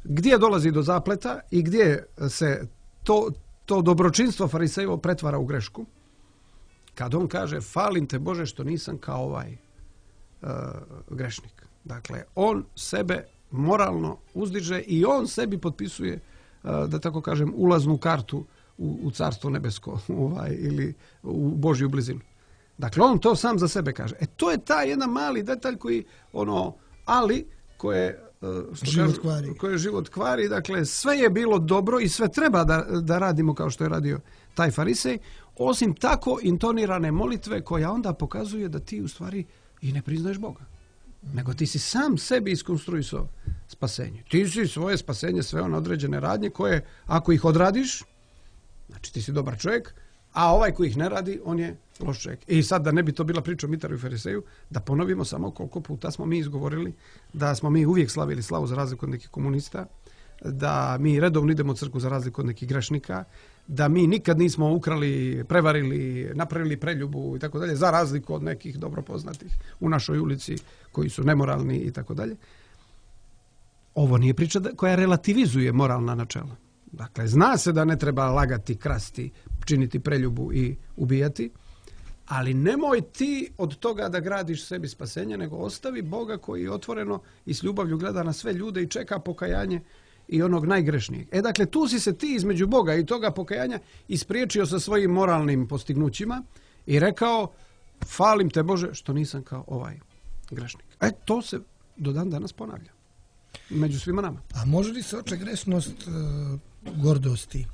S1: gdje dolazi do zapleta i gdje se to, to dobročinstvo farisejevo pretvara u grešku? Kad on kaže, falim te Bože što nisam kao ovaj uh, grešnik. Dakle, on sebe moralno uzdiže i on sebi potpisuje, uh, da tako kažem, ulaznu kartu U, u carstvo nebesko ovaj, ili u Božju blizinu. Dakle, on to sam za sebe kaže. E, to je taj jedan mali detalj koji, ono, ali, koje, što
S4: život
S1: kaže,
S4: kvari.
S1: koje život kvari. Dakle, sve je bilo dobro i sve treba da, da radimo kao što je radio taj farisej, osim tako intonirane molitve koja onda pokazuje da ti u stvari i ne priznaješ Boga. Nego ti si sam sebi iskonstruisao spasenje. Ti si svoje spasenje sve one određene radnje koje, ako ih odradiš, znači ti si dobar čovjek, a ovaj koji ih ne radi, on je loš čovjek. I sad da ne bi to bila priča o Mitaru i Fariseju, da ponovimo samo koliko puta smo mi izgovorili da smo mi uvijek slavili slavu za razliku od nekih komunista, da mi redovno idemo u crkvu za razliku od nekih grešnika, da mi nikad nismo ukrali, prevarili, napravili preljubu i tako dalje, za razliku od nekih dobro poznatih u našoj ulici koji su nemoralni i tako dalje. Ovo nije priča koja relativizuje moralna načela. Dakle, zna se da ne treba lagati, krasti, činiti preljubu i ubijati, ali nemoj ti od toga da gradiš sebi spasenje, nego ostavi Boga koji otvoreno i s ljubavlju gleda na sve ljude i čeka pokajanje i onog najgrešnijeg. E, dakle, tu si se ti između Boga i toga pokajanja ispriječio sa svojim moralnim postignućima i rekao, falim te Bože što nisam kao ovaj grešnik. E, to se do dan danas ponavlja među svima nama.
S4: A može li se oče grešnost e, gordosti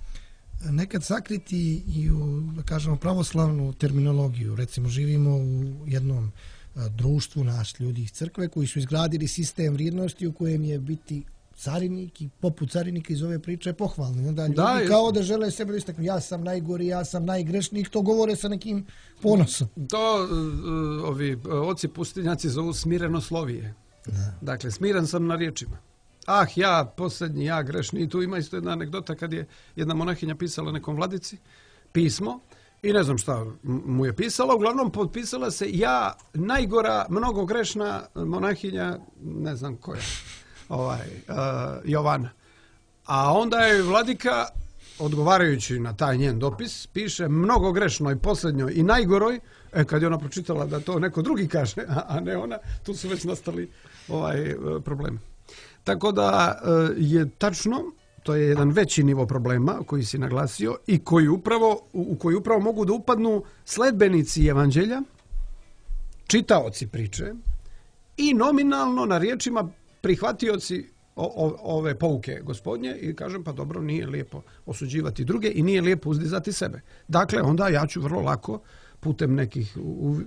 S4: nekad sakriti i u, da kažemo, pravoslavnu terminologiju? Recimo, živimo u jednom a, društvu naš ljudi iz crkve koji su izgradili sistem vrijednosti u kojem je biti carinik i poput carinika iz ove priče je pohvalno. Onda ljudi da, kao da žele sebe da istaknu, ja sam najgori, ja sam najgrešnik, to govore sa nekim ponosom.
S1: To uh, ovi oci pustinjaci zovu smirenoslovije. Da. Dakle, smiren sam na riječima. Ah, ja posljednji, ja grešni. I tu ima isto jedna anegdota kad je jedna monahinja pisala nekom vladici pismo i ne znam šta mu je pisala. Uglavnom potpisala se ja najgora, mnogo grešna monahinja, ne znam koja, ovaj, uh, Jovana. A onda je vladika, odgovarajući na taj njen dopis, piše mnogo grešnoj, posljednjoj i najgoroj. E, kad je ona pročitala da to neko drugi kaže, a, a ne ona, tu su već nastali ovaj problemi. Tako da je tačno, to je jedan veći nivo problema koji si naglasio i koji upravo, u koji upravo mogu da upadnu sledbenici evanđelja, čitaoci priče i nominalno na riječima prihvatioci o, o, ove pouke Gospodnje i kažem, pa dobro, nije lijepo osuđivati druge i nije lijepo uzdizati sebe. Dakle, onda ja ću vrlo lako putem nekih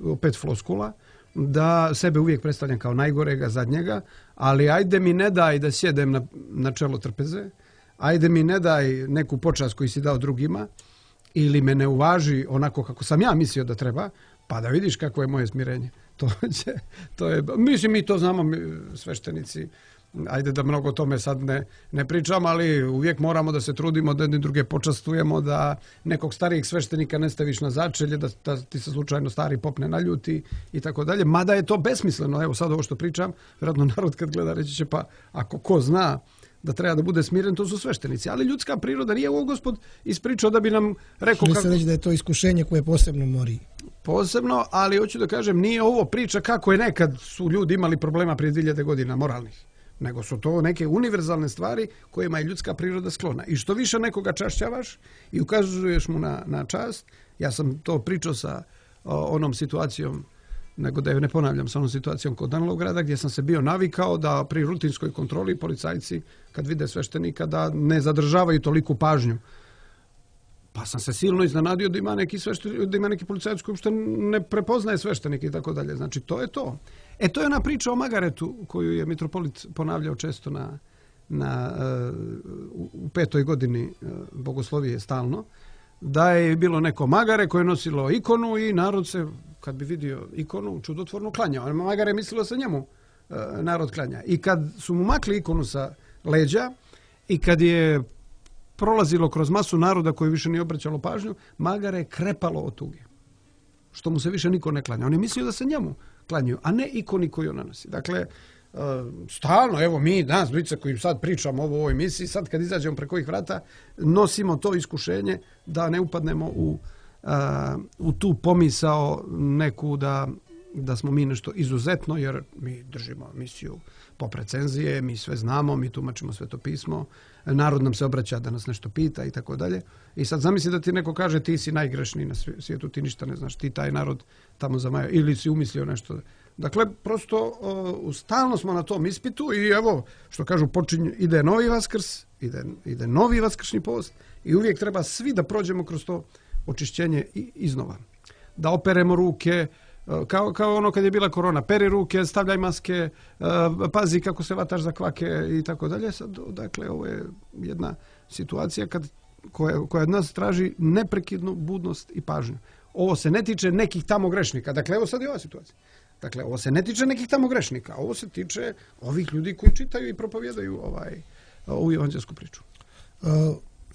S1: opet floskula da sebe uvijek predstavljam kao najgorega, zadnjega, ali ajde mi ne daj da sjedem na, na čelo trpeze, ajde mi ne daj neku počast koju si dao drugima ili me ne uvaži onako kako sam ja mislio da treba, pa da vidiš kako je moje smirenje. To, će, to je, mislim, mi to znamo, mi, sveštenici, ajde da mnogo o tome sad ne, ne pričam, ali uvijek moramo da se trudimo da jedni druge počastujemo, da nekog starijeg sveštenika ne staviš na začelje, da, da ti se slučajno stari popne na ljuti i tako dalje. Mada je to besmisleno, evo sad ovo što pričam, vjerojatno narod kad gleda reći će, pa ako ko zna da treba da bude smiren, to su sveštenici. Ali ljudska priroda nije ovo Gospod ispričao da bi nam rekao...
S4: Kako... reći da je to iskušenje koje posebno mori? Posebno,
S1: ali hoću da kažem, nije ovo priča kako je nekad su ljudi imali problema prije dvije hiljade godina moralnih. nego su to neke univerzalne stvari kojima je ljudska priroda sklona. I što više nekoga čašćavaš i ukazuješ mu na, na čast, ja sam to pričao sa o, onom situacijom, nego da je ne ponavljam, sa onom situacijom kod Danilovgrada, gdje sam se bio navikao da pri rutinskoj kontroli policajci, kad vide sveštenika, da ne zadržavaju toliku pažnju. Pa sam se silno iznenadio da ima neki, svešten, da ima neki policajac koji uopšte ne prepoznaje sveštenike i tako dalje. Znači, to je to. E, to je ona priča o Magaretu koju je mitropolit ponavljao često na, na, uh, u petoj godini uh, bogoslovije stalno, da je bilo neko magare koje je nosilo ikonu i narod se, kad bi vidio ikonu, čudotvorno klanjao. Magare je mislilo da se njemu uh, narod klanja. I kad su mu makli ikonu sa leđa i kad je prolazilo kroz masu naroda koji više nije obraćalo pažnju, magare je krepalo od tuge. Što mu se više niko ne klanja. On je mislio da se njemu klanjaju, a ne ikoni koju ona nosi. Dakle, stalno, evo mi, nas dvojica koji sad pričamo o ovoj misiji, sad kad izađemo preko ovih vrata, nosimo to iskušenje da ne upadnemo u, u tu pomisao neku da, da smo mi nešto izuzetno, jer mi držimo misiju pop recenzije, mi sve znamo, mi tumačimo Sveto pismo, narod nam se obraća da nas nešto pita i tako dalje. I sad zamisli da ti neko kaže ti si najgrešniji na svijetu, ti ništa ne znaš, ti taj narod tamo zamaja, ili si umislio nešto. Dakle, prosto uh, stalno smo na tom ispitu i evo, što kažu, počinje, ide novi Vaskrs, ide, ide novi vaskršnji post i uvijek treba svi da prođemo kroz to očišćenje i iznova. Da operemo ruke, Kao, kao ono kad je bila korona, peri ruke, stavljaj maske, pazi kako se vataš za kvake i tako dalje. Sad, dakle, ovo je jedna situacija kad, koja, koja od nas traži neprekidnu budnost i pažnju. Ovo se ne tiče nekih tamo grešnika. Dakle, evo sad je ova situacija. Dakle, ovo se ne tiče nekih tamo grešnika. Ovo se tiče ovih ljudi koji čitaju i propovjedaju ovaj, ovu evanđelsku priču.
S4: Uh,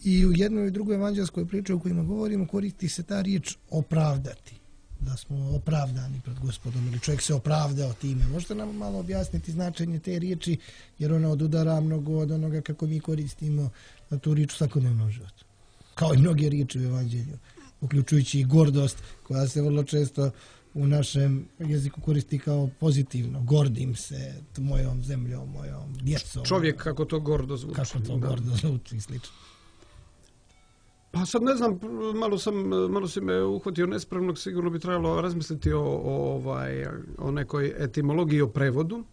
S4: I u jednoj i drugoj evanđelskoj priči o kojima govorimo koristi se ta riječ opravdati. Da smo opravdani pred Gospodom ili čovjek se opravdao time. Možete nam malo objasniti značenje te riječi, jer ona odudara mnogo od onoga kako mi koristimo na tu riječ u svakodnevnom životu. Kao i mnoge riječi u evanđelju, uključujući i gordost, koja se vrlo često u našem jeziku koristi kao pozitivno. Gordim se mojom zemljom, mojom djecom.
S1: Čovjek kako to gordo zvuči.
S4: Kako to da. gordo zvuči i slično.
S1: Pa sad ne znam, malo sam, malo si me uhvatio nespremnog, sigurno bi trebalo razmisliti o, o, ovaj, o nekoj etimologiji, o prevodu,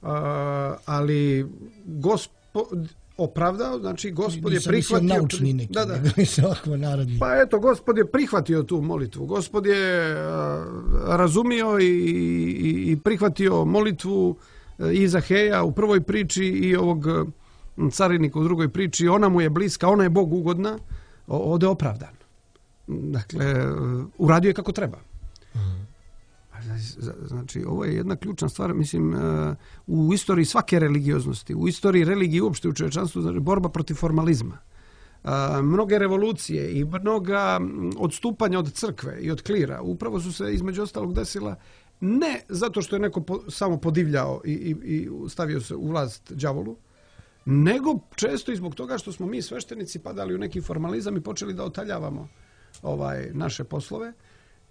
S1: a, ali gospod opravdao, znači Gospod je prihvatio...
S4: naučni neki, da, da. narodni.
S1: Pa eto, Gospod je prihvatio tu molitvu, Gospod je a, razumio i, i, i prihvatio molitvu i Zaheja u prvoj priči i ovog carinika u drugoj priči, ona mu je bliska, ona je Bogu ugodna, ovdje je opravdan. Dakle, uradio je kako treba. Znači, ovo je jedna ključna stvar, mislim, u istoriji svake religioznosti, u istoriji religije uopšte u čovječanstvu, znači, borba protiv formalizma. Mnoge revolucije i mnoga odstupanja od crkve i od klira upravo su se između ostalog desila ne zato što je neko po, samo podivljao i, i, i stavio se u vlast đavolu, nego često i zbog toga što smo mi sveštenici padali u neki formalizam i počeli da otaljavamo ovaj, naše poslove.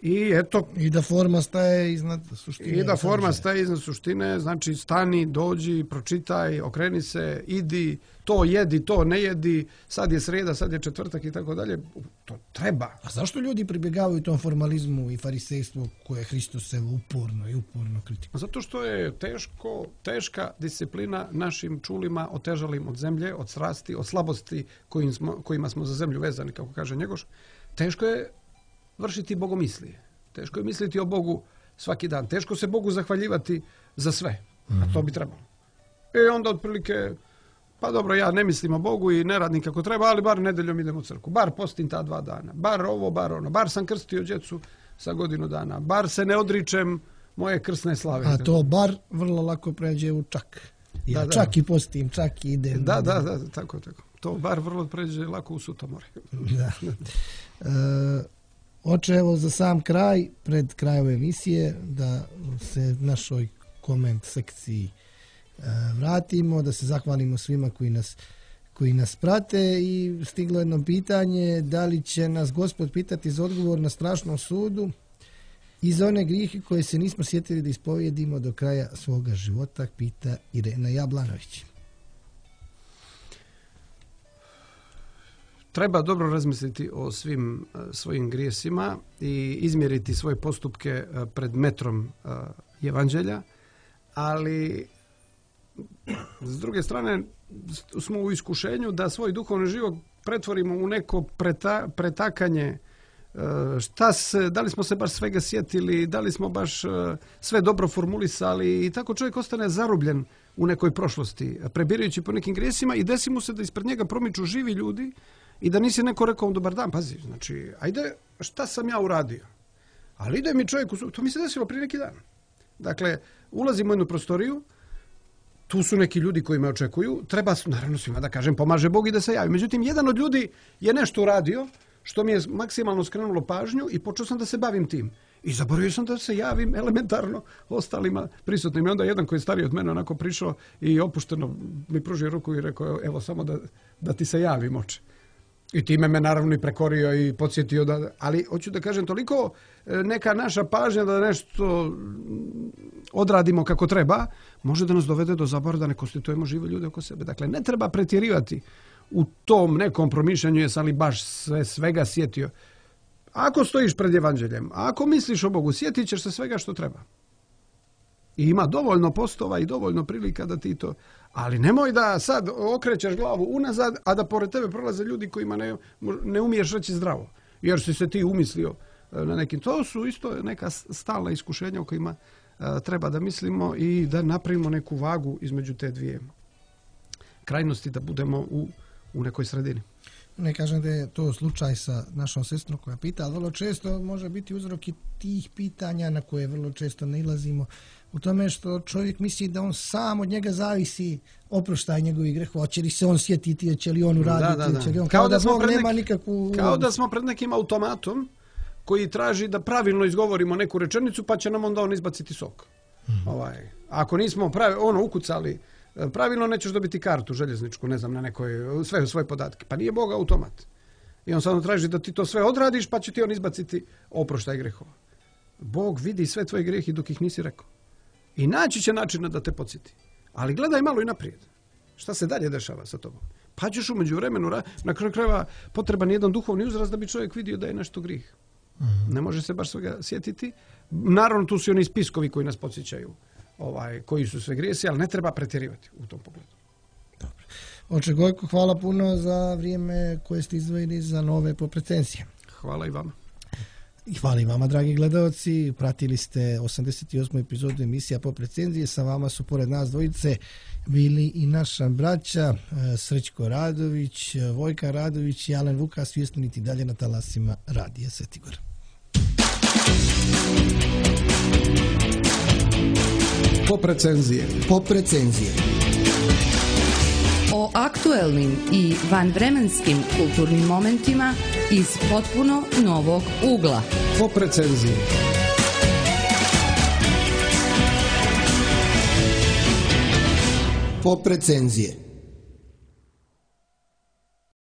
S1: I eto,
S4: i da forma staje iznad suštine.
S1: I da forma staje iznad suštine, znači stani, dođi, pročitaj, okreni se, idi, to jedi, to ne jedi, sad je sreda, sad je četvrtak i tako dalje. To treba.
S4: A zašto ljudi pribjegavaju tom formalizmu i farisejstvu koje Hristos se uporno i uporno kritikuje?
S1: Zato što je teško, teška disciplina našim čulima otežalim od zemlje, od strasti, od slabosti kojim smo, kojima smo za zemlju vezani, kako kaže Njegoš. Teško je vršiti bogomislije. Teško je misliti o Bogu svaki dan. Teško se Bogu zahvaljivati za sve. A to bi trebalo. I onda otprilike, pa dobro, ja ne mislim o Bogu i ne radim kako treba, ali bar nedeljom idem u crkvu. Bar postim ta dva dana. Bar ovo, bar ono. Bar sam krstio djecu sa godinu dana. Bar se ne odričem moje krsne slave.
S4: A to bar vrlo lako pređe u čak. Ja da, da. čak i postim, čak i idem.
S1: Da, da, da, tako, tako. To bar vrlo pređe lako u sutomore.
S4: Da. E, Oče, evo za sam kraj, pred krajem emisije, da se našoj koment sekciji e, vratimo, da se zahvalimo svima koji nas, koji nas prate i stiglo jedno pitanje, da li će nas Gospod pitati za odgovor na strašnom sudu I za one grijehe koje se nismo sjetili da ispovijedimo do kraja svoga života, pita Irena Jablanović.
S1: Treba dobro razmisliti o svim uh, svojim grijesima i izmjeriti svoje postupke uh, pred metrom uh, evanđelja, ali s druge strane smo u iskušenju da svoj duhovni život pretvorimo u neko preta, pretakanje. Uh, šta se, da li smo se baš svega sjetili, da li smo baš uh, sve dobro formulisali i tako čovjek ostane zarubljen u nekoj prošlosti, prebirajući po nekim grijesima i desi mu se da ispred njega promiču živi ljudi i da nisi neko rekao dobar dan, pazi, znači, ajde, šta sam ja uradio? Ali ide mi čovjek, u... to mi se desilo prije neki dan. Dakle, ulazimo u jednu prostoriju, tu su neki ljudi koji me očekuju, treba, naravno svima da kažem, pomaže Bog i da se javi. Međutim, jedan od ljudi je nešto uradio, što mi je maksimalno skrenulo pažnju i počeo sam da se bavim tim. I zaboravio sam da se javim elementarno ostalima prisutnim. I onda jedan koji je stariji od mene onako prišao i opušteno mi pružio ruku i rekao, evo samo da, da ti se javim, oče. I time me naravno i prekorio i podsjetio da, ali hoću da kažem toliko neka naša pažnja da nešto odradimo kako treba, može da nas dovede do zaborava da ne konstituujemo žive ljude oko sebe. Dakle, ne treba pretjerivati u tom nekom promišljanju jesam li baš sve, svega sjetio. Ako stojiš pred evanđeljem, ako misliš o Bogu, sjetit ćeš se svega što treba. I ima dovoljno postova i dovoljno prilika da ti to... Ali nemoj da sad okrećeš glavu unazad, a da pored tebe prolaze ljudi kojima ne, ne umiješ reći zdravo. Jer si se ti umislio na nekim... To su isto neka stalna iskušenja o kojima a, treba da mislimo i da napravimo neku vagu između te dvije krajnosti, da budemo u, u nekoj sredini.
S4: Ne kažem da je to slučaj sa našom sestrom koja pita, ali vrlo često može biti uzrok i tih pitanja na koje vrlo često nailazimo u tome što čovjek misli da on sam od njega zavisi oproštaj njegovih grehova, će li se on sjetiti, će li on uraditi,
S1: da, da, da.
S4: će li on,
S1: kao,
S4: kao da,
S1: da
S4: Bog nema
S1: neki,
S4: nikakvu...
S1: Kao da smo pred nekim automatom koji traži da pravilno izgovorimo neku rečenicu, pa će nam onda on izbaciti sok. Mm. Ovaj, ako nismo pravi, ono ukucali pravilno, nećeš dobiti kartu željezničku, ne znam, na nekoj, sve svoje podatke. Pa nije Bog automat. I on samo traži da ti to sve odradiš, pa će ti on izbaciti oproštaj grehova. Bog vidi sve tvoje grehe dok ih nisi rekao. I naći će načina da te podsjeti. Ali gledaj malo i naprijed. Šta se dalje dešava sa tobom? Pa ćeš u međuvremenu, na kraju krajeva potreban jedan duhovni uzrast da bi čovjek vidio da je nešto grih. Mm-hmm. Ne može se baš svega sjetiti. Naravno, tu su oni spiskovi koji nas podsjećaju. Ovaj, koji su sve grijesi, ali ne treba pretjerivati u tom pogledu.
S4: Dobro. Oče Gojko, hvala puno za vrijeme koje ste izdvojili za nove poprecenzije.
S1: Hvala i vama.
S4: I hvala i vama, dragi gledalci. Pratili ste osamdeset osmu epizodu emisija Poprecenzije. Sa vama su pored nas dvojice bili i naša braća Srećko Radović, Vojka Radović i Alen Vuka, svjesniti dalje na talasima Radija Svetigor.
S1: Poprecenzije.
S2: Poprecenzije.
S3: O aktuelnim i vanvremenskim kulturnim momentima iz potpuno novog ugla.
S1: Poprecenzije.
S2: Poprecenzije.